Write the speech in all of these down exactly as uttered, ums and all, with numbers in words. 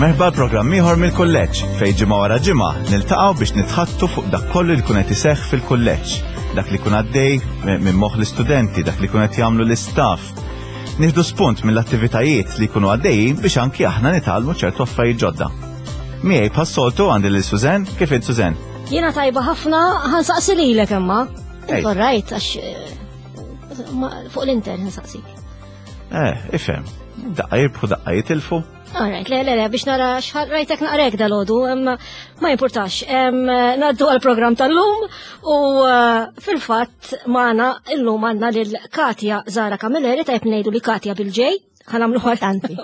Merħba programm ieħor mill-kulleġġ fejn ġimgħa wara ġimgħa niltaqgħu biex nitħaddtu fuq dak kollu li jkun qed iseħħ fil-kulleġġ, dak li jkun għaddej minn moħħ l-istudenti, dak li jkun qed jagħmlu l-istaff. Nieħdu spunt mill-attivitajiet li jkunu għaddejjin biex anki aħna nitgħallmu ċertu affarijiet ġodda. Miegħi bħas-soltu għandi lil Suzen, kif int, Suzen? Jiena tajba ħafna, ħa nsaqsi lilek imma. Right, għax eh, fuq l-inter nsaqsi. Eh, ifhem. Daqqa jirbħu, daqqa jitilfu. Alright, le, le, le, biex nara xħal rajtek naqrek dal-għodu, ma importax. Ngħaddu għal-program tal-lum u eh, fil-fatt magħna illum għandna lil Katja Zara Camilleri, tajb ngħidu li Katja bil-J, ħa nagħmlu tanti.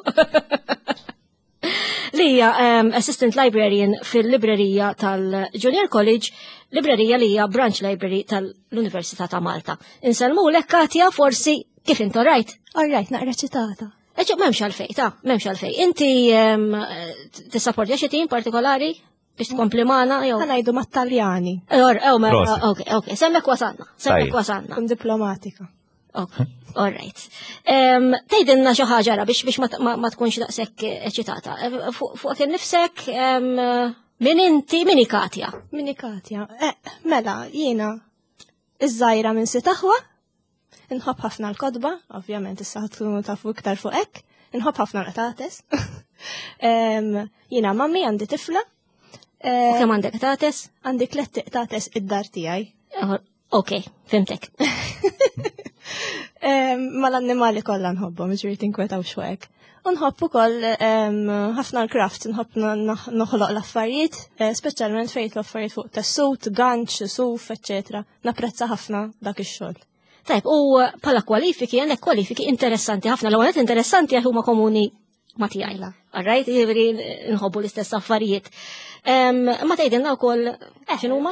Li hija Assistant Librarian fil-librerija tal-Junior College, librerija li hija Branch Library tal-Università ta' Malta. Insellmulek, Katja, forsi kif inti, right? All right, naqra eċitata. Eċ, m'hemmx għalfejn, ta' m'hemmx għalfejn. Inti tissapportja xi tim partikolari biex tkompli magħna jew? Ħa ngħidu mat-Taljani. Or, oh, ok, ok, s'hemmhekk wasalna, s'hemmhekk wasalna. Kun diplomatika. Ok, all right. Tgħidilna xi ħaġa biex biex ma tkunx daqshekk eċitata. Fuq innifsek, min inti, min hi Katja? Min hi Katja? Eh, mela, jiena iż-żgħira minn sitt aħwa, nħobb ħafna l-kotba, ovvjament issa tkunu tafu iktar fuq hekk, nħobb ħafna l-qtates. Jiena mami, għandi tifla. U kemm għandek qtates? Għandi tliet qtates id-dar tiegħi. Ok, fhimtek. Mal-annimali kollha nħobbhom, ġifieri tinkwetaw xwek. Nħobb ukoll ħafna l-craft, nħobb noħloq l-affarijiet, eh, speċjalment fejn l-affarijiet fuq tessut, ganċ, suf, eċċetera. Napprezza ħafna dak ix-xogħol. Tajb, u bħala kwalifiki, għandek kwalifiki interessanti ħafna. L-ewwel interessanti għax huma komuni ma tiegħi. Alright, jiġifieri nħobbu l-istess affarijiet. Ma tgħidilna wkoll x'inhuma?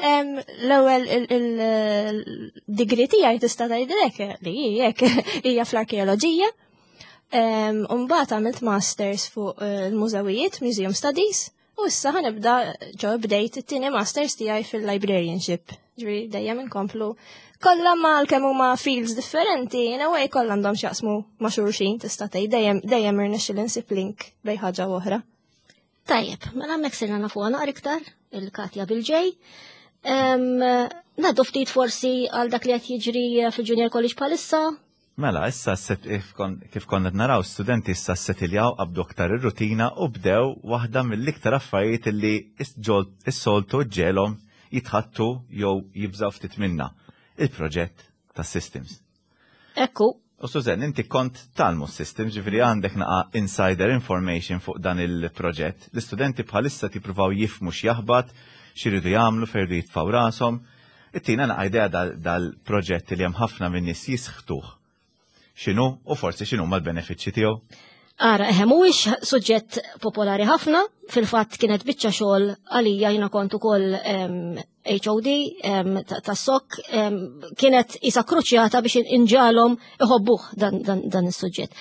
L-ewwel il-degree tiegħi, tista' tgħidlek li hekk, hija fl-arkeoloġija. Mbagħad għamilt masters fuq eh, il-mużewijiet, Museum Studies, u issa ħa nibda, ġo bdejt it-tieni masters tiegħi fil-librarianship. Ġifieri dejjem inkomplu kollha ma kemm huma fields differenti, in a way kollha għandhom x'jaqsmu ma' xulxin, tista' tgħid dejjem dejjem irnexxi insib link bejn ħaġa oħra. Tajjeb, mela hemmhekk sirna nafuha naqra iktar il-Katja bil-J. Ngħaddu ftit forsi għal dak li qed jiġri fil-Junior College bħalissa. Mela, issa kif konna naraw, studenti issa settiljaw, qabdu aktar ir-rutina u bdew waħda mill-iktar affarijiet li is-soltu ġelhom jitħattu jew jibżaw ftit minna: il-proġett ta' systems. Ekku. U Suzen, inti kont tgħallmu systems, ġifieri għandek naqa insider information fuq dan il-proġett. L-istudenti bħalissa tippruvaw jifhmu x'jaħbat, x'iridu jagħmlu, fejn jitfgħu rashom. Ittina naqa idea dal-proġett li hemm ħafna minn nies jisħtuh. X'inhu u forsi x'inhu mal-benefiċċji tiegħu? Ara, eħe, mhuwiex suġġett popolari ħafna, fil-fatt kienet biċċa xogħol għalija, jiena kont ukoll H O D tas-S O K, kienet isa kruċjata biex inġagħalhom iħobbuh dan, dan, dan is-suġġett.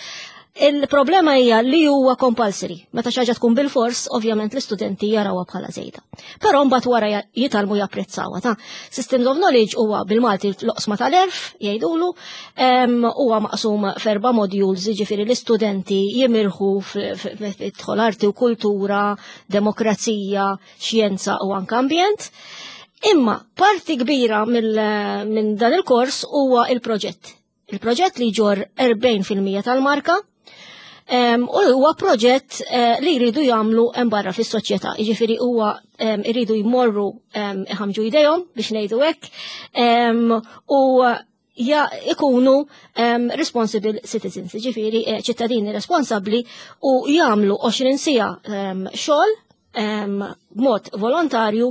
Il-problema hija li huwa compulsory. Meta xi ħaġa tkun bil-fors, ovvjament l-istudenti jarawha bħala żejda. Però mbagħad wara jitgħallmu japprezzawha. Ta' Systems of Knowledge huwa bil-Malti l-oqsma tal-għerf, jgħidulu, huwa maqsum f'erba' modules, jiġifieri l-istudenti jimirħu f'idħol arti u kultura, demokrazija, xjenza u anke ambjent. Imma parti kbira minn dan il-kors huwa il-proġett. Il-proġett li jġorr erbgħin fil-mija tal-marka, u huwa proġett eh, li jridu jagħmlu hemm barra fis-soċjetà. Jiġifieri huwa jridu jmorru iħamġu jdejhom, biex ngħidu hekk, u ja ikunu um, responsible citizens, ġifieri eh, ċittadini responsabli, u jagħmlu għoxrin siegħa um, xogħol um, b'mod volontarju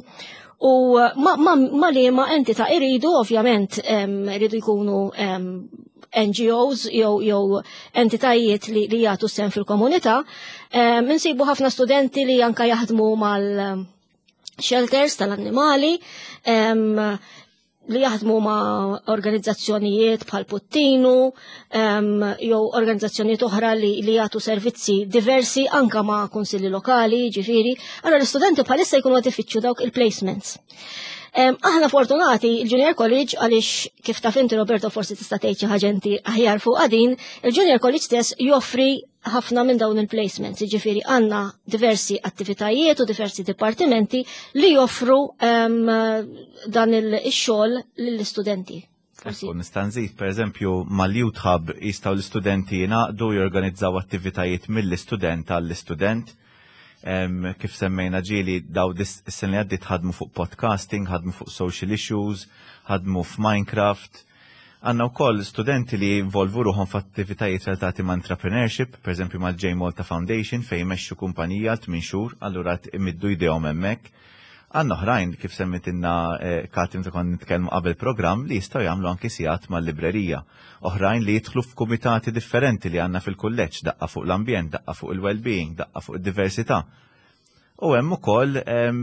u ma, ma, ma li ma entità iridu, ovvjament iridu jkunu um, N G Os jew jew entitajiet li, li jagħtu sehem fil-komunità. Um, insibu ħafna studenti li anka jaħdmu mal shelters tal-annimali, um, li jaħdmu ma' organizzazzjonijiet bħal Puttinu, um, jew organizzazzjonijiet oħra li, li jagħtu servizzi diversi anka ma' kunsilli lokali, ġifieri. Allora l-istudenti bħalissa jkunu qed ifittxu dawk il-placements. Um, aħna fortunati il-Junior College għaliex, kif taf inti, Roberto, forsi tista' tgħid xi ħaġa inti aħjar fuq din, il-Junior College stess joffri ħafna minn dawn il-placements, jiġifieri għandna diversi attivitajiet u diversi dipartimenti li joffru em, dan il-xogħol lill-istudenti. Forsi. Ekku, nista' nżid, per eżempju, mal-Youth Hub jistgħu l-istudenti jingħaqdu jorganizzaw attivitajiet mill-istudent għall-istudent. Em, kif semmejna ġieli daw dis is-sena li għaddiet ħadmu fuq podcasting, ħadmu fuq social issues, ħadmu f'Minecraft. Għandna wkoll studenti li involvu ruħhom f'attivitajiet relatati ma' entrepreneurship, per eżempju mal-J Malta Foundation fejn jmexxu kumpanija għal tmien xhur, allura imiddu jdejhom hemmhekk. Għandna oħrajn kif semmitilna eh, Katim ta' konna nitkellmu qabel programm li jistgħu jagħmlu anki sigħat mal-librerija. Oħrajn li jidħlu f'kumitati differenti li għandna fil-kulleġġ, daqqa fuq l-ambjent, daqqa fuq il-well-being, daqqa fuq id-diversità. U hemm ukoll em,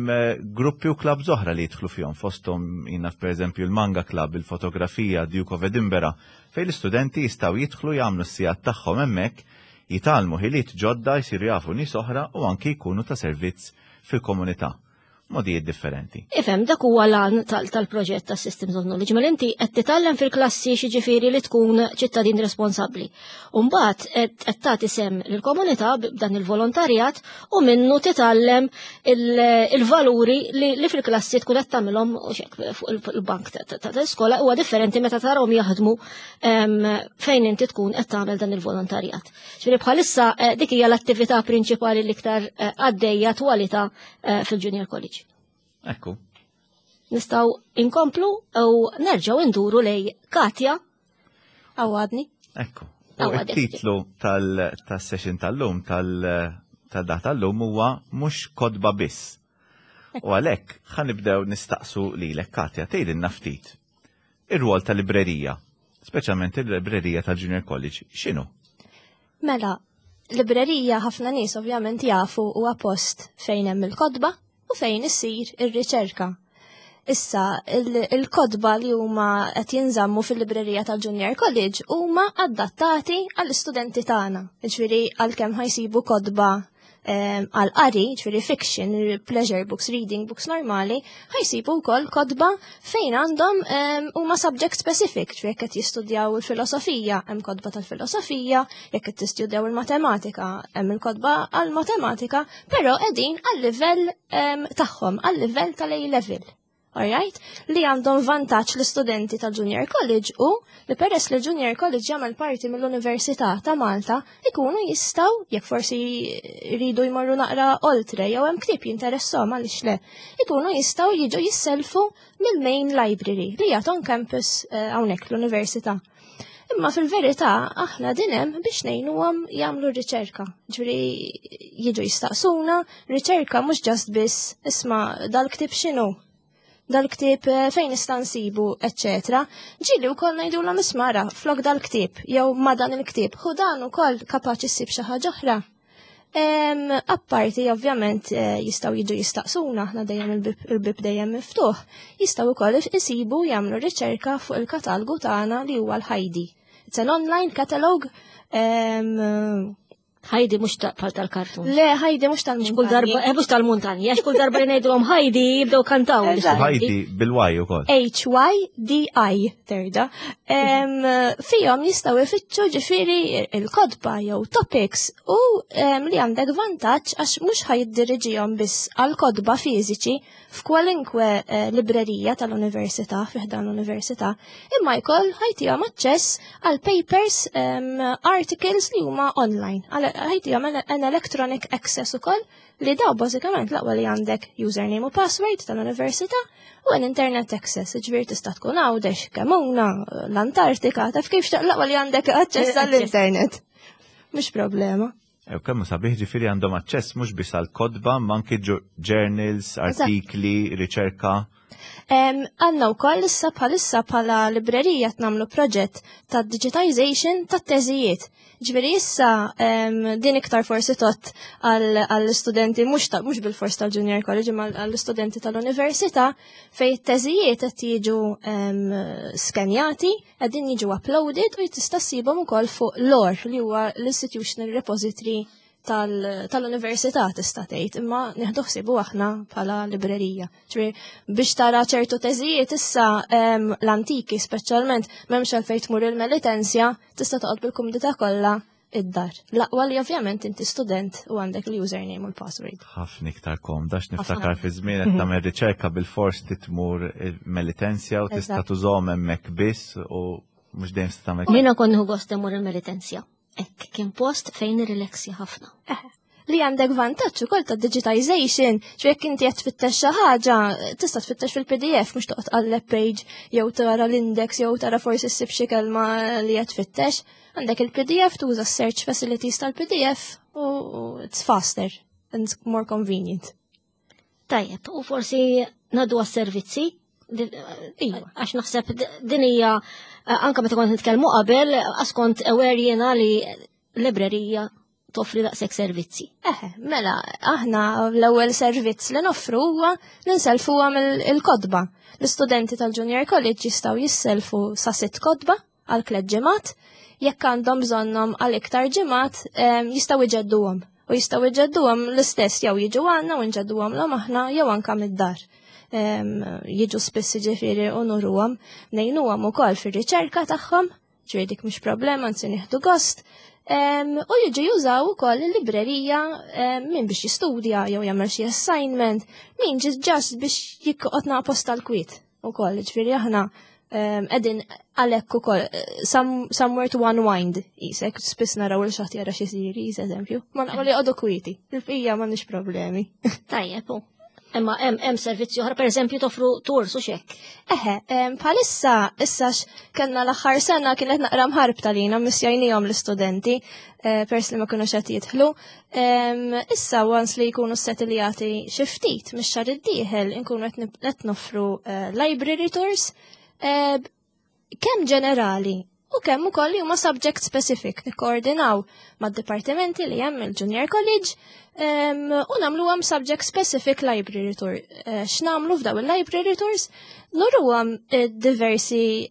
gruppi u clubs oħra li jidħlu fihom fosthom jiena pereżempju l-Manga Club, il-fotografija, Duke of Edinburgh, fejn l-istudenti jistgħu jidħlu jagħmlu s-sigħat tagħhom hemmhekk, jitgħallmu ħiliet ġodda, jsiru jafu nies oħra u anki jkunu ta' servizz fil-komunità. Modijiet differenti. Ifhem, dak huwa l-għan tal-proġett ta' Systems of Knowledge, ma inti qed titgħallem fil-klassi xiġifieri li tkun ċittadin responsabbli. U mbagħad qed tagħti sehem lill-komunità b'dan il-volontarjat u minnu titgħallem il-valuri li fil-klassi tkun qed tagħmilhom fuq il-bank tal-iskola huwa differenti meta tarahom jaħdmu fejn inti tkun qed tagħmel dan il-volontarjat. Ġifieri bħalissa eh, dik hija l-attività prinċipali l-iktar eh, għaddejja twalita eh, fil-Junior College. Ekku. Nistgħu inkomplu u nerġgħu induru lej Katja. Għawadni. Ekku. U il-titlu tal-session tal-lum, tal-dat tal-lum huwa mhux kotba biss. U għalhekk ħa nibdew nistaqsu lilek Katja, tgħidilna ftit. Ir-rwol tal-librerija, speċjalment il-librerija tal-Junior College, x'inhu? Mela, librerija ħafna nies ovvjament jafu huwa post fejn hemm il-kotba u fejn issir ir-riċerka. Issa, il-kotba li huma qed jinżammu fil-librerija tal-Junior College huma adattati għall-istudenti tagħna. Ġifieri għalkemm ħa jsibu kotba għal qari, ġifieri fiction, pleasure books, reading books normali, ħa jsibu wkoll kotba fejn għandhom huma subject specific, ġifieri jekk qed jistudjaw il-filosofija, hemm kotba tal-filosofija, jekk qed tistudjaw il-matematika, hemm il-kotba għal-matematika, però qegħdin għal-livell tagħhom, għal-livell tal-A level. Alright? Li għandhom vantaġġ l-istudenti tal-Junior College u li peress li Junior College jagħmel parti mill-Università ta' Malta ikunu jistgħu jekk forsi jridu jmorru naqra oltre jew hemm ktieb jinteresshom għaliex le, ikunu jistgħu jiġu jisselfu mill-main library li hija on campus eh, hawnhekk l-università. Imma fil-verità aħna din hemm biex ngħinuhom jagħmlu riċerka. Ġifieri jiġu jistaqsuna, riċerka mhux just biss isma' dal-ktieb x'inhu, dal-ktieb eh, fejn nista' nsibu, eċċetera. Ġieli wkoll ngħidulhom isma' ara flok dal-ktieb jew ma dan il-ktieb, hu dan ukoll kapaċi ssib xi ħaġa oħra. Em, Apparti ovvjament eh, jistgħu jiġu jistaqsuna, aħna dejjem il-bib il-bib dejjem miftuħ, jistgħu wkoll isibu jagħmlu riċerka fuq il-katalgu tagħna li huwa l-Heidi. It's an online catalog. em, Heidi mhux ta' bħal tal-kartun. Le, Heidi mhux Kull darba, tal-muntanji. eh, mhux tal-muntanji, għax kull darba li ngħidulhom Heidi jibdew kantaw. Eżatt. Heidi bil-Y ukoll. H-Y-D-I terda. Em, Fihom jistgħu ifittxu ġifieri il-kotba jew topics u em, li għandek vantaġġ għax mhux ħa jiddiriġihom biss għal kotba fiżiċi f'kwalinkwe eh, librerija tal-università, fi ħdan l-università, imma jkoll ħa jtihom aċċess għal papers, em, articles li huma online. Għal- Ħa jtihom an an electronic access ukoll li daw bażikament l-aqwa li għandek username u password tal-università u an internet access, ġifieri tista' tkun Għawdex, Kemmuna, l-Antartika, taf kif xtaq l-aqwa li għandek aċċess għall-internet. Mhux problema. Ew kemm sabiħ ġifieri għandhom aċċess mhux biss għal kotba, ma anki ġu- journals, artikli, riċerka. Em, Għandna wkoll issa bħalissa bħala librerija nagħmlu proġett ta' digitization ta' teżijiet. Ġifieri issa em, din iktar forsi tot għall-studenti mhux ta' mhux bil-fors tal-Junior College imma għall-studenti tal-università fejn it-teżijiet qed jiġu em, skenjati, qegħdin jiġu uploaded u tista' ssibhom ukoll fuq l-OR li huwa l-Institutional Repository tal- tal-università tista' tgħid, imma nieħdu ħsiebu aħna bħala librerija. Ġifieri biex tara ċertu teżijiet issa em, l-antiki speċjalment m'hemmx għalfejn tmur il-Melitensja, tista' toqgħod bil-kumdità kollha id-dar. L-aqwa li ovvjament inti student u għandek l-username u l-password. Ħafna iktar komda, niftakar fi żmien qed tagħmel riċerka bil-fors tmur Melitensja u tista' tużahom hemmhekk biss u mhux dejjem tista' tagħmel. Jiena kont nieħu gost immur il-Melitensja. Hekk kien post fejn nirrilassja ħafna. Li għandek vantaġġ ukoll ta' digitization, ċe jekk inti qed tfittex xi ħaġa, tista' tfittex fil-P D F, mhux toqgħod tqalleb page jew tara l-index jew tara forsi ssib xi kelma li qed tfittex. Għandek il-P D F, tuża search facilities tal-P D F u it's faster and more convenient. Tajjeb, u forsi ngħaddu għas-servizzi, Iva. għax naħseb din hija, anka meta kont nitkellmu qabel, għax kont aware jiena li librerija toffri daqshekk servizzi. Eħe, mela, aħna l-ewwel servizz li noffru huwa li nselfuhom il-kotba. L-istudenti tal-Junior College jistgħu jisselfu sa sitt kotba għal tliet ġimgħat, jekk għandhom bżonnhom għal iktar ġimgħat jistgħu iġedduhom. U jistgħu iġedduhom l-istess jew jiġu għandna u nġedduhom aħna jew anka mid-dar. Jiġu spiss ġifieri u nuruhom, ngħinuhom ukoll fir-riċerka tagħhom, ġifieri dik mhux problema, anzi nieħdu gost. U jiġu jużaw ukoll il-librerija min biex jistudja jew jagħmel xi assignment, min just biex joqgħod post tal-kwiet ukoll, ġifieri aħna qegħdin għalhekk ukoll somewhere to unwind isek, spiss naraw il xi ħadd jara xi series, eżempju, ma naqgħu li joqogħdu kwieti, il-bqija m'għandniex problemi. Tajjeb, imma hemm hemm servizzi oħra, pereżempju toffru tours u hekk. Eħe, bħalissa issa kellna l-aħħar sena kienet naqra mħarbta lina missjajnihom l-istudenti eh, pers li ma kinux qed jidħlu. Issa once li jkunu settiljati xi ftit mix-xahar id-dieħel inkunu qed noffru eh, library tours eh, kemm ġenerali u kemm ukoll li huma subject specific, nikkoordinaw mad-dipartimenti li hemm il-Junior College u nagħmluhom subject specific library tour. Eh, x'nagħmlu f'daw il-library tours? Nuruhom eh, diversi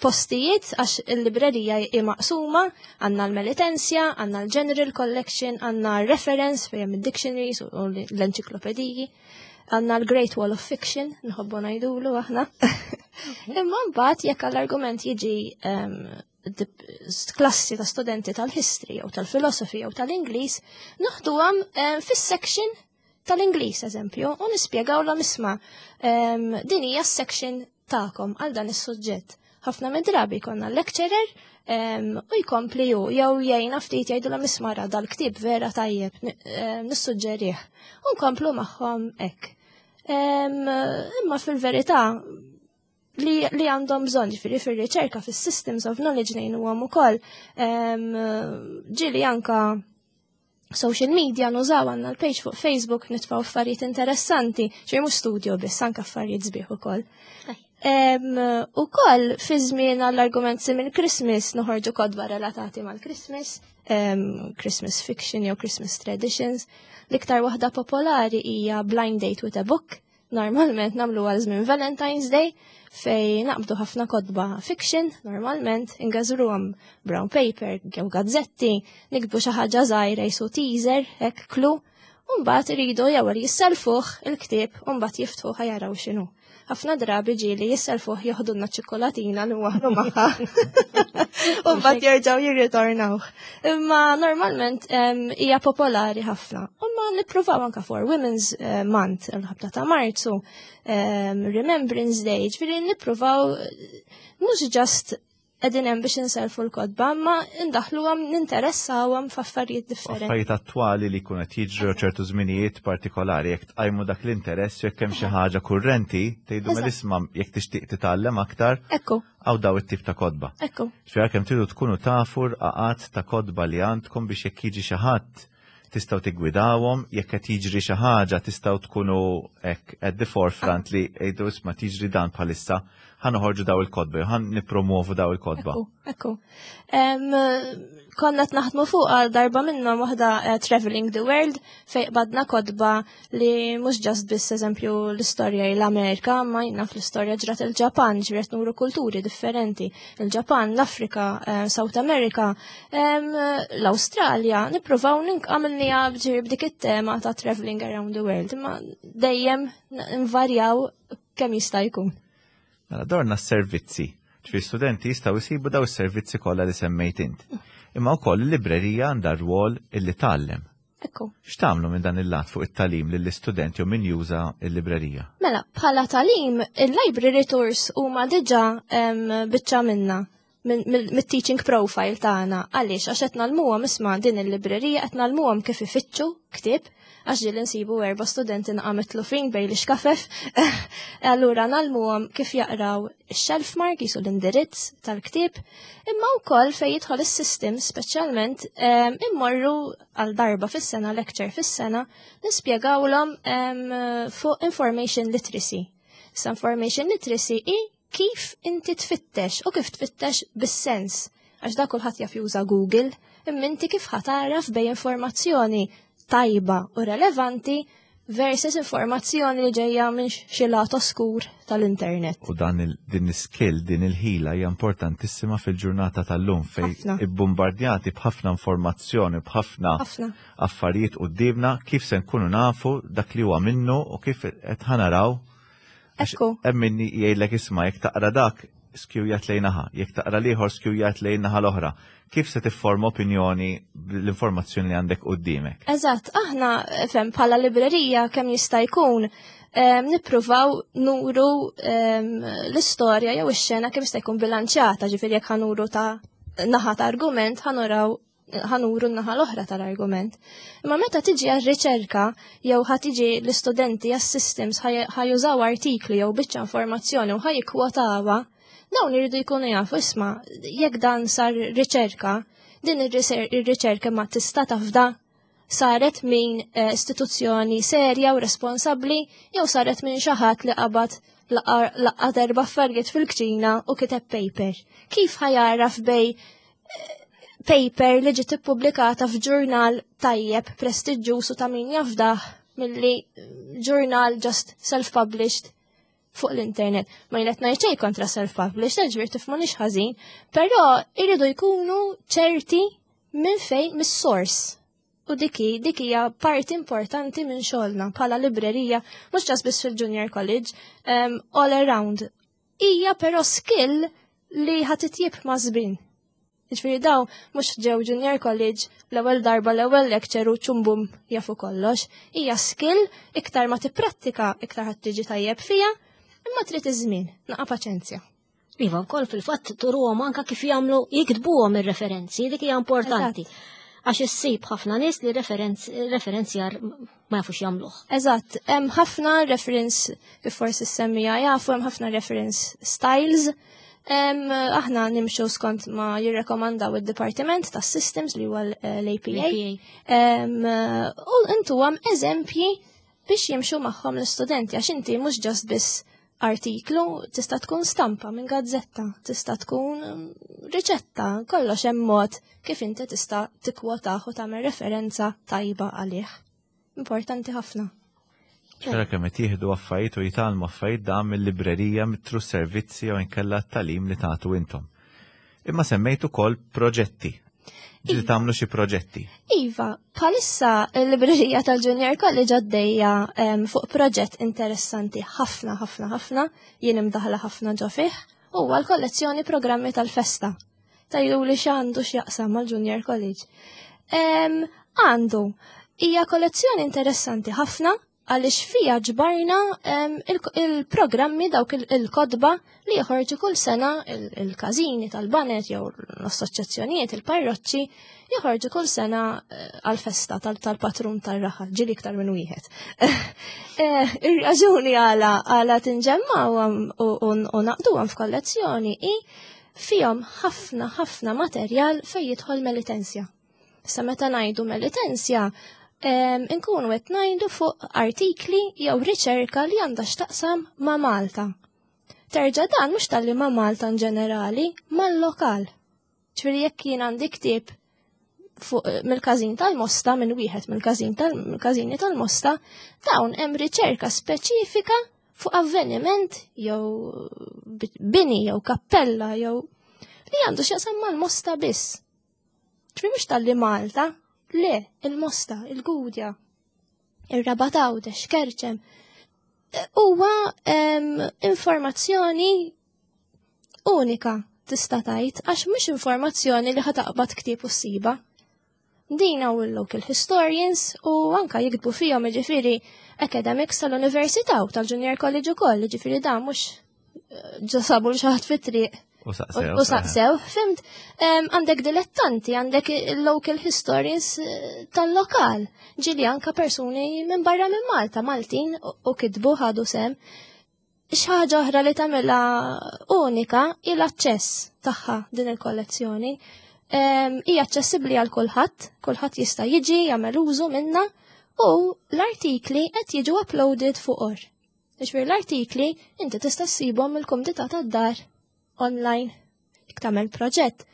postijiet għax il-librerija hi maqsuma, għandna l-Melitensja, għandna l-General Collection, għandna reference fejn id-dictionaries u l-enċiklopediji, għandna l-Great Wall of Fiction, nħobbu ngħidulu aħna. Imma mbagħad jekk għall-argument jiġi klassi ta' studenti tal-history jew tal-philosophy jew tal-Ingliż, noħduhom fis-section tal-Ingliż eżempju u nispjegawlhom, "Isma', din hija s-section tagħkom għal dan is-suġġett." Ħafna mid-drabi konna lecturer u jkompli ju, jew jgħinna ftit, jgħidu "Isma', dal-ktieb vera tajjeb, nissuġġerih." U nkomplu magħhom hekk. Imma fil-verità li, li għandhom bżonn, ġifieri fir-riċerka, fis-systems of knowledge ngħinuhom ukoll. Ġieli anka social media nużaw, għandna l-page fuq Facebook, nitfaw affarijiet interessanti, ġifieri mhux studio biss, anka affarijiet sbieħ ukoll. Ukoll fi żmien għall-argument minn Christmas noħorġu kotba relatati mal-Christmas, Christmas fiction jew Christmas traditions. L-iktar waħda popolari hija Blind Date with a Book. Normalment nagħmlu għal żmien Valentine's Day fej naqbdu ħafna kotba fiction, normalment ingażruhom brown paper jew gazzetti, niktbu xi ħaġa żgħira jisu teaser, hekk clue, u mbagħad iridu jew jisselfuh il-ktieb u mbagħad jiftħuh jaraw x'inhu. Ħafna drabi ġieli jisselfuh, joħdulna ċikolatina li waħlu magħha. U mbagħad jerġgħu jirritornaw. Imma normalment hija popolari ħafna. Imma nippruvaw anka for Women's eh, Month, il-ħabta ta' Marzu, Remembrance Day, ġifieri nippruvaw mhux just qegħdin hemm biex inselfu l-kotba, ma indaħluhom, ninteressawhom f'affarijiet differenti. Affarijiet attwali li jkun qed jiġru ċertu żminijiet partikolari, jekk tqajmu dak l-interess, jekk hemm xi ħaġa kurrenti, tgħidu Eżatt. "Isma', jekk tixtieq titgħallem aktar, Ekku, hawn daw it-tip ta' kotba." ekku. Ġifieri kemm tridu tkunu tafu rqaqat ta' kotba li għandkom biex jekk jiġi xi ħadd tistgħu tiggwidawhom, jekk qed jiġri xi ħaġa tistgħu tkunu hekk at the forefront li jgħidu, "Isma', tiġri dan bħalissa, ħa noħorġu daw il-kotba, jew ħa nippromovu daw il-kotba." Ekku, ekku. Em, Konna qed naħdmu fuq għal darba minnhom waħda eh, Traveling the World fej qbadna kotba li mhux just biss eżempju l-istorja l-Amerika, ma jina fl-istorja ġrat il-Ġapan, ġifieri nuru kulturi differenti. Il-Ġapan, l-Afrika, eh, South America, em, l-Awstralja, nippruvaw għamilnieha ġifieri b'dik it-tema ta' traveling around the world, imma dejjem nvarjaw kemm jista' jkun. Mela dorna s-servizzi. Ġifieri studenti jistgħu jsibu daw is-servizzi kollha li semmejt int. Imma wkoll il-librerija għandha rwol illi tgħallem. Ekku. X'tagħmlu minn dan il-lat fuq it-tagħlim lill-istudenti u min juża l-librerija? Mela, bħala tagħlim, il-library tours huma diġà biċċa minna mit-teaching profile tagħna. Għaliex? Għax qed ngħallmuhom, isma', din il-librerija, qed ngħallmuhom kif ifittxu ktieb, għax ġieli nsibu erba' studenti naqa mitlufin bejn l-ixkafef. Allura ngħallmuhom kif jaqraw shelf mark, jisu l-indirizz tal-ktieb, imma wkoll fejn jidħol is-system speċjalment immorru għal darba fis-sena, lecture fis-sena, nispjegawlhom fuq information literacy. Sa information literacy i kif inti tfittex u kif tfittex bis-sens. Għax da kulħadd jaf juża Google, imma inti kif ħa tagħraf bejn informazzjoni tajba u relevanti versus informazzjoni li ġejja minn xi lat oskur tal-internet. U dan il, din skill, din il-ħila hija importantissima fil-ġurnata tal-lum fejn ibbombardjati b'ħafna informazzjoni, b'ħafna affarijiet qudiemna, kif se nkunu nafu dak li huwa minnu u kif qed ħa naraw. Ekku. Hemm min jgħidlek, isma', jekk taqra dak skewjat lejn naħa, jekk taqra l-ieħor skewjat lejn naħa l-oħra. Kif se tifforma opinjoni bl-informazzjoni li għandek quddiemek? Eżatt, aħna fem bħala librerija kemm jista' jkun nippruvaw nuru l-istorja jew ix-xena kemm jista' jkun bilanċjata, ġifieri jekk ħa nuru ta' naħa ta' argument, ħa nuraw ħa nuru n-naħa l-oħra tal-argument. Imma meta tiġi għal-riċerka jew ħa tiġi l-istudenti għas-systems ħa jużaw artikli jew biċċa informazzjoni u ħa jikkwotawha, dawn iridu jkunu jafu, isma', jekk dan sar riċerka, din ir-riċerka ma tista' tafda saret minn eh, istituzzjoni serja u responsabbli jew saret minn xi ħadd li qabad laqqat erba' affarijiet fil-kċina u kiteb paper. Kif ħa jaraf bejn eh, paper li ġiet ippubblikata f'ġurnal tajjeb, prestiġjuż u ta' min jafdah milli ġurnal just self-published fuq l-internet? Ma jien qed ngħid kontra self-published, ġifieri tifhmunix ħażin, però iridu jkunu ċerti minn fejn, mis-source. U diki, dik hija parti importanti minn xogħolna bħala librerija, mhux just biss fil-junior college, um, all around. Hija però skill li ħa titjieb ma' żmien. Ġifieri daw mhux ġew junior college l-ewwel darba, l-ewwel lecture u ċumbum jafu kollox. Hija skill, iktar ma tipprattika iktar ħa tiġi tajjeb fija, imma trid iż-żmien, naqa' paċenzja. Iva, wkoll fil-fatt turuhom anka kif jagħmlu, jiktbuhom ir-referenzi, dik hija importanti. Għax issib ħafna nies li referenzjar ma jafux jagħmluh. Eżatt, hemm ħafna reference, kif forsi semmija jafu, hemm ħafna reference styles. Aħna nimxu skont ma jirrekomandaw id-Dipartiment tas Systems li huwa l-A P A. U intuhom eżempji biex jimxu magħhom l-istudenti, għax inti mhux just biss artiklu, tista' tkun stampa minn gazzetta, tista' tkun riċetta, kollox hemm mod kif inti tista' tikkwotaħ u tagħmel referenza tajba għalih. Importanti ħafna. Tara kemm qed jieħdu affarijiet u jitgħallmu affarijiet da mill-librerija, mit-tru servizzi jew inkella t-tagħlim li tagħtu intom. Imma semmejt ukoll proġetti. Ġieli Iva. tagħmlu xi proġetti. Iva, bħalissa l-librerija tal-Junior College għaddejja em, fuq proġett interessanti ħafna, ħafna, ħafna, jien imdaħla ħafna ġo fih, huwa l-kollezzjoni programmi tal-festa. Tgħidu li x'għandu x'jaqsam mal-Junior College? Em, Għandu, hija kollezzjoni interessanti ħafna għaliex fija ġbarna em, il- il-programmi, dawk il- il-kotba li joħorġu kull sena il- il-każini tal-baned jew l-assoċjazzjonijiet, il-parroċċi joħorġu kull sena eh, għal-festa tal- tal-patrun tal-raħal, ġieli iktar minn wieħed. Eh, Ir-raġuni għala għala tinġemmaw u u naqduhom f'kollezzjoni i fihom ħafna ħafna materjal fejn jidħol Melitensja. Sa meta ngħidu Melitensja, em, inkunu qed ngħidu fuq artikli jew riċerka li għandha x'taqsam ma' Malta. Terġa' dan mhux talli ma' Malta in ġenerali, mal-lokal. Ġifieri jekk jien għandi ktieb fuq mill-każin tal-Mosta, minn wieħed mill-każin tal-każini tal-Mosta, dawn hemm riċerka speċifika fuq avveniment jew bini jew kappella jew li għandu x'jaqsam mal-Mosta biss. Ġifieri mhux talli Malta, le, il-Mosta, il-Gudja, ir-Rabat, Għawdex, Kerċem. Huwa em, informazzjoni unika. tista' tgħid, għax mhux informazzjoni li ħa taqbad ktieb u ssibha. Din hawn il-local historians u anka jiktbu fihom, ġifieri, academics tal-università u tal-junior college ukoll, ġifieri dan mhux eh, ġa sabu 'l xi ħadd fit-triq U saqsew. u saqsew, fhimt, Em, għandek dilettanti, għandek local historians eh, tal-lokal, ġieli anka persuni minn barra minn Malta, Maltin, u u kitbu, ħadu sehem. Xi ħaġa oħra li tagħmilha unika il-aċċess tagħha din il-kollezzjoni. Em, Hija aċċessibbli għal kulħadd, kulħadd jista' jiġi jagħmel użu minnha u l-artikli qed jiġu uploaded fuq or. Ġifieri l-artikli inti tista' ssibhom mill-kumdità tad-dar online. Jekk tagħmel proġett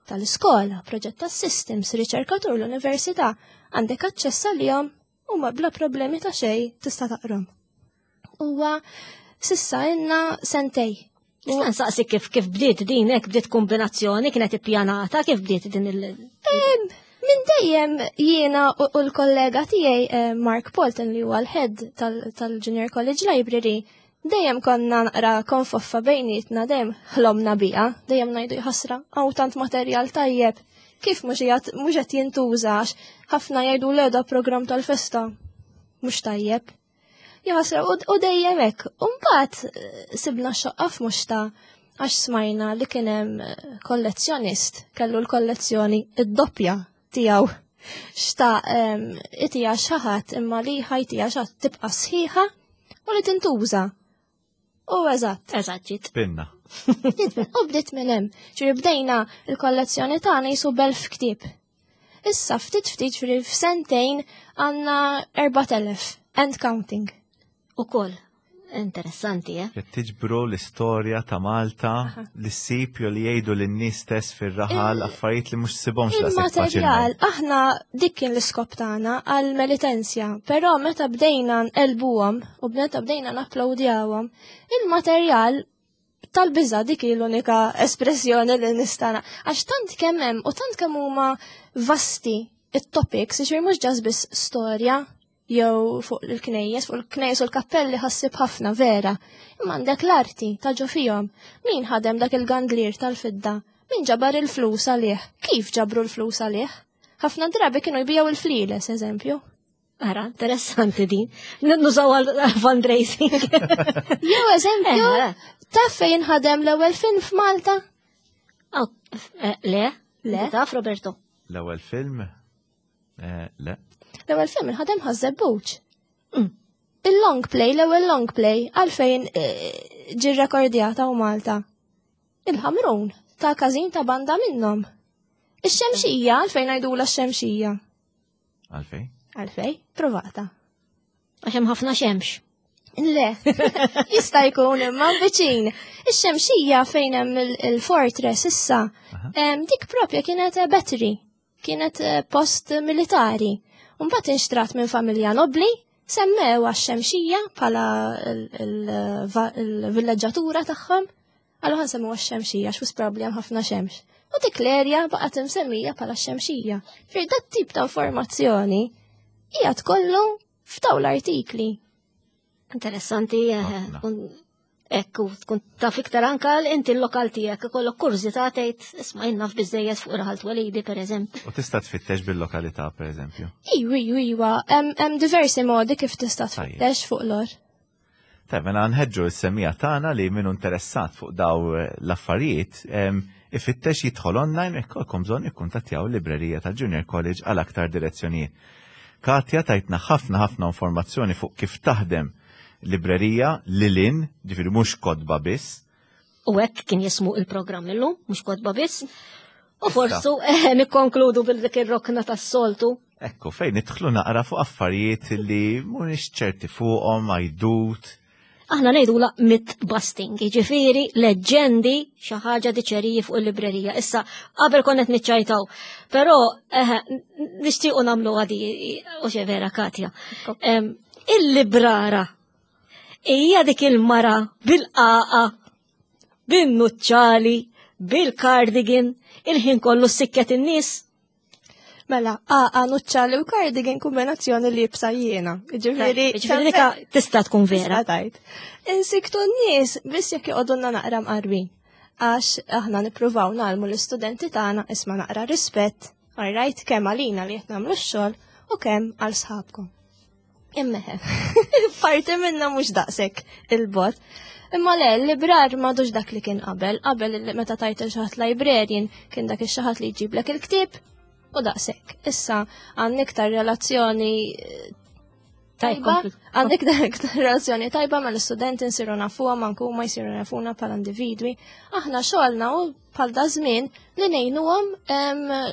tal-iskola, proġett tas-systems, riċerkatur l-università, għandek aċċess għalihom u ma bla problemi ta' xejn tista' taqrom. Huwa s'issa ilna sentejn. Nista' nsaqsi kif kif bdiet din, hekk bdiet kombinazzjoni, kienet ippjanata, kif bdiet din il- Minn dejjem jiena u u l-kollega tiegħi eh, Mark Polton, li huwa l-head tal-Junior College Library, dejjem konna naqra konfoffa bejnietna, dejjem ħlomna biha, dejjem ngħidu ħasra, hawn tant materjal tajjeb. Kif mhux qiegħed mhux qed jintużax, ħafna jgħidu le, da program tal-festa mhux tajjeb. Jaħasra, u u dejjem hekk. U mbagħad eh, sibna xoqqa f'muxta għax smajna li kien hemm eh, kollezzjonist kellu l-kollezzjoni id-doppja tiegħu. Xta itija xi ħadd, imma li ħa jtiha xi ħadd tibqa' sħiħa u li tintuża. U eżatt. Eżatt ġiet. Pinna. U bdiet minn hemm. Ġifieri bdejna il-kollezzjoni tagħna jisu b'elf ktieb. Issa ftit ftit, ġifieri f'sentejn għandna erbat elef and counting. Ukoll. Interessanti, eh? Qed tiġbru l-istorja ta' Malta, l-sipju li jgħidu lin-nies stess fir-raħal, affarijiet li mhux ssibhomx daqshekk Il-materjal, faċilment. Aħna dik kien l-iskop tagħna għal Melitensia, però meta bdejna nqelbuhom u meta bdejna napplawdjawhom, il-materjal tal-biża, dik hi l-unika espressjoni li nistana. Għax tant kemm hemm u tant kemm huma vasti it-topics, ġifieri mhux just biss storja jew fuq il-knejjes, fuq il-knejjes u l-kappelli ħassib ħafna vera. Imma għandek l-arti ta' ġo fihom. Min ħadem dak il-gandlir tal-fidda? Min ġabar il-flus għalih? Kif ġabru l-flus għalih? Ħafna drabi kienu jbijaw il-fliles, eżempju. Ara, interessanti din. Nużaw għal fundraising. Jew eżempju, Eh, taf fejn ħadem l-ewwel film f'Malta? Oh, eh, le? Le. Taf, Roberto? L-ewwel film? Eh, Le. L-ewwel film inħadem Ħaż-Żebbuġ. Mm. Il-long play, l-ewwel long play, għalfejn eh, ġi rekordjata u Malta? Il-Ħamrun, ta' każin ta' banda minnhom. Ix-Xemxija, għalfejn ngħidula x-Xemxija? Għalfejn? Għalfej, provata. Għax hemm ħafna xemx. Le, jista' jkun, imma viċin. Ix-Xemxija fejn hemm il- il-fortress issa, em, dik propja kienet eh, battery, kienet eh, post militari. Mbagħad inxtrat minn familja nobli, semmew għax-Xemxija bħala il-villeġġatura tagħhom. Għallu ħa nsemmu għax-Xemxija, x'wis problem ħafna xemx. U dik l-erja baqgħet imsemmija bħala x-Xemxija. Fir dat tip ta' informazzjoni hija tkollu f'daw l-artikli. Interessanti, eh, Ħafna. tkun ekku, tkun taf iktar anka l- inti l-lokal tiegħek, ikollok kurżità tgħid, isma' jien naf biżejjed fuq raħal twelidi, pereżempju. U tista' tfittex bil-lokalità, per eżempju. Iwa, iwa, iwa, hemm hemm diversi modi kif tista' Tajjeb. tfittex fuq l-or. Tajb, mela nħeġġu s-semmiegħa tagħna li minnu interessat fuq daw l-affarijiet em, ifittex, jidħol online, jekk ikolkom bżonn ikkuntattjaw l-librerija tal-Junior College għal aktar direzzjonijiet. Katja, tajtna ħafna ħafna informazzjoni fuq kif taħdem librerija lilin, ġifieri mhux kotba biss. U hekk kien jismu il-programm illum, Mhux Kotba Biss. U forsu eh, nikkonkludu bil-dik ir-rokna tas-soltu. Ekku, fejn nidħlu naqra fuq affarijiet li mhumiex ċerti fuqhom, għajdut. Aħna ngħidula myth busting, jiġifieri leġġendi, xi ħaġa diċeriji fuq il-librerija. Issa qabel konna qed niċċajtaw, però eh, nixtiequ nagħmlu għadi u xe vera, Katja. Em, Il-librara hija dik il-mara bil-qaqa, bin-nuċċali, bil-cardigan, il-ħin kollu sikket in-nies. Mela, għaqa, nuċċali u cardigan, kombinazzjoni li libsa jiena. Ġifieri, Ġifieri dika tista' tkun vera. Tista' tgħid. Insiktu n-nies biss jekk joqogħdulna naqra mqarbin. Għax aħna nippruvaw ngħallmu l-istudenti tagħna, isma', naqra rispett, alright, kemm għalina li qed nagħmlu x-xogħol u kemm għal sħabkom. Imma, parti minna mhux daqshekk il-bot. Imma le, l-librar m'għadux dak li kien qabel. Qabel meta tajt il xi ħadd librarian kien dak ix-xi ħadd li jġiblek il-ktieb u daqshekk. Issa għandna iktar relazzjoni eh, tajba, għandek iktar relazzjoni tajba ma l-istudenti, nsiru nafuha manku ma jsiru nafuna bħala individwi. Aħna xogħolna u bħal da żmien li ngħinuhom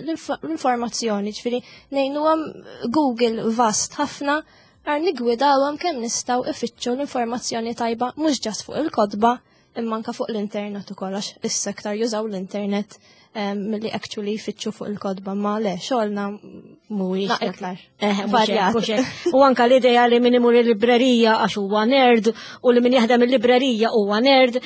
l-informazzjoni, ġifieri ngħinuhom Google vast ħafna, għar nigwidawhom kemm nistgħu ifittxu l-informazzjoni tajba mhux just fuq il-kotba imma anka fuq l-internet ukoll, għax issa aktar jużaw l-internet milli actually jfittxu fuq il-kotba, ma le, xogħolna mhuwiex iktar. Eh, u anka l-idea li min imur il-librerija għax huwa nerd u li min jaħdem il-librerija huwa nerd,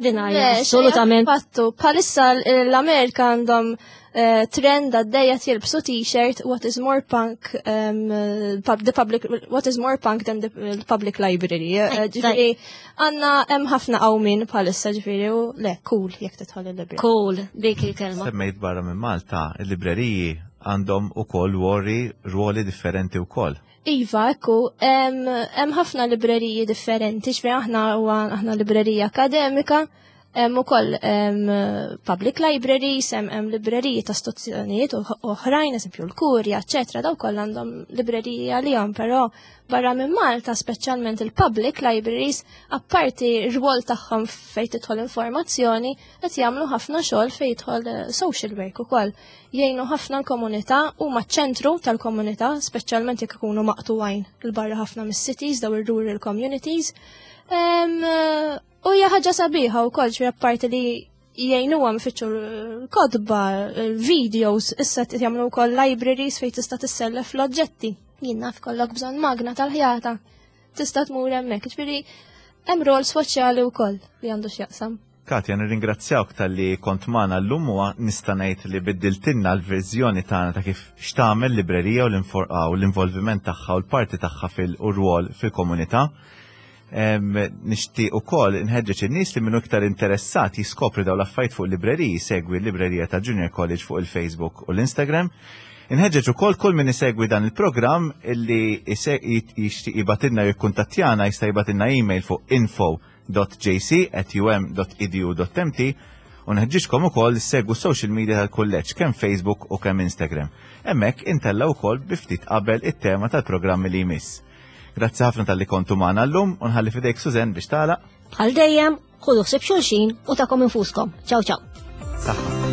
din assolutament. Fattu, bħalissa l-Amerika għandhom eh, trend għaddejja, jilbsu t-shirt "What is more punk um, the public what is more punk than the public library?" Eh, ġifieri għandna hemm ħafna qawmin bħalissa, ġifieri u le, cool jekk tidħol il-librerija. Cool, dik il-kelma. Semmejt barra minn Malta, il-libreriji għandhom ukoll wori ruoli differenti wkoll. Iva, ekku, hemm ħafna libreriji differenti, ġifieri aħna aħna librerija akademika, hemm ukoll public libraries, hemm libreriji ta' istituzzjonijiet oħrajn, eżempju l-Kurja, eċetera, daw kollha għandhom libreriji għalihom, però barra minn Malta, speċjalment il-public libraries, apparti r-rwol tagħhom fejn tidħol informazzjoni, qed jagħmlu ħafna xogħol fejn jidħol eh, social work ukoll. Jgħinu ħafna l-komunità u ċentru tal-komunità, speċjalment jekk ikunu maqtuwajn il-barra ħafna mis-cities, daw ir-rural communities. U hija ħaġa sabiħa wkoll, ġifieri apparti li jgħinuhom ifittxu l-kotba, videos, issa jagħmlu wkoll libraries fejn tista' tissellef l-oġġetti. Jien naf, kollok bżonn magna tal-ħjata. Tista' tmur hemmhekk, ġifieri hemm rol soċjali wkoll li għandu x'jaqsam. Katja, nirringrazzjawk talli kont magħna llum u nista' ngħid li biddiltilna l-viżjoni tagħna ta' kif x'tagħmel librerija u l-involviment tagħha u l-parti tagħha fil-rwol fil-komunità. Nixtieq ukoll inħeġġeġ in-nies li minnu iktar interessat jiskopri dawn l-affarijiet fuq libreriji, segwi l-librerija ta' Junior College fuq il-Facebook u l-Instagram. Inħeġġeġ ukoll kull min isegwi dan il-programm illi jixtieq jibgħatilna, jikkuntattjana, jista' jibgħatilna email fuq info dot J C at U M dot edu dot M T u nħeġġiġkom ukoll segwu social media tal-kulleġġ, kemm Facebook u kemm Instagram. Hemmhekk intella' wkoll bi ftit qabel it-tema tal-programmi li jmiss. Grazzi ħafna talli kontu magħna llum u nħalli fidejk, Suzen, biex tagħlaq. Bħal dejjem, ħudu ħsieb xulxin u tagħkom infuskom. Ciao ciao. Saħħa.